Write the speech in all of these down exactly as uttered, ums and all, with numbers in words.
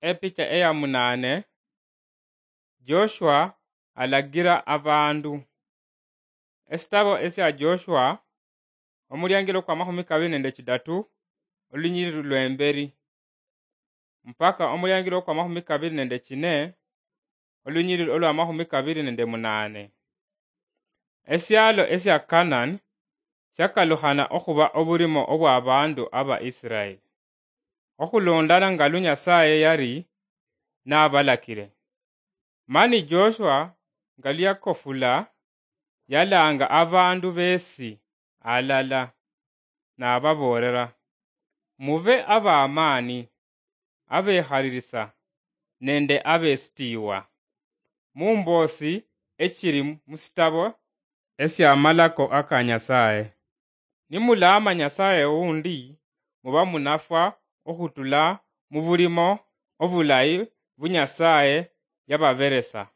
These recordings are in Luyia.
Epicha eya munane. Joshua alagira abandu. Esitabo esia Joshua, omuliangilo kwa mahumi kabiri nende chidatu, olunyiriri lwemberi, mpaka omuliangilo kwa mahumi kabiri nende chine, olunyiriri olwa mahumi kabiri nende munane. Esialo esia Kanani siakalukhana okhuba oburimo obwa abandu aba Israeli, okhulondana nga lu Nyasaye yali nabalakire. Mani Joshua nga luyakofula, yalanga abandu besi alala, nababoolera, "Mube abamaani, abekhalirisa, nende abesitiiwa, mumboosi echiri musitabo esia amalako aka Nyasaye. Nimulaama Nyasaye wundi, muba munafwa okhutula mubulimo obulayi bu Nyasaye yababeresa.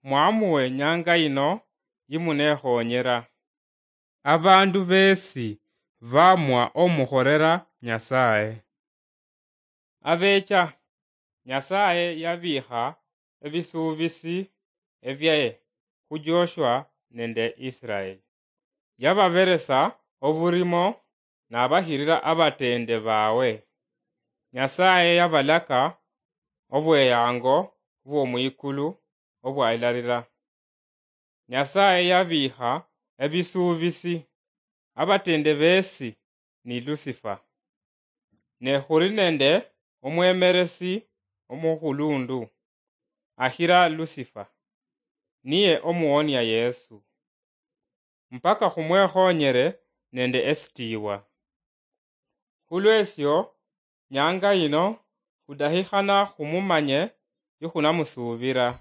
Mwamuwe nyanga yino yimunekhonyera." Abandu besi bamwa omukhorera Nyasaye. Abecha, Nyasaye yabikha ebisuubisi ebyaye khu Joshua nende Israeli. Yababeresa oburimo nabahirira abatende bawe. Nyasaye yabalaka obweyango bwomwikulu obwailarira. Nyasaye yabikha ebisuubisi, abatende besi ni Lusifa. Ne khuli nende omwemeresi omukhulundu akhira Lusifa, niye omuwonia Yesu, mpaka khumwekhonyere nende esitiiwa. Khulwesio, nyanga yino khudahikhana khumumanye yikhunamusuubira.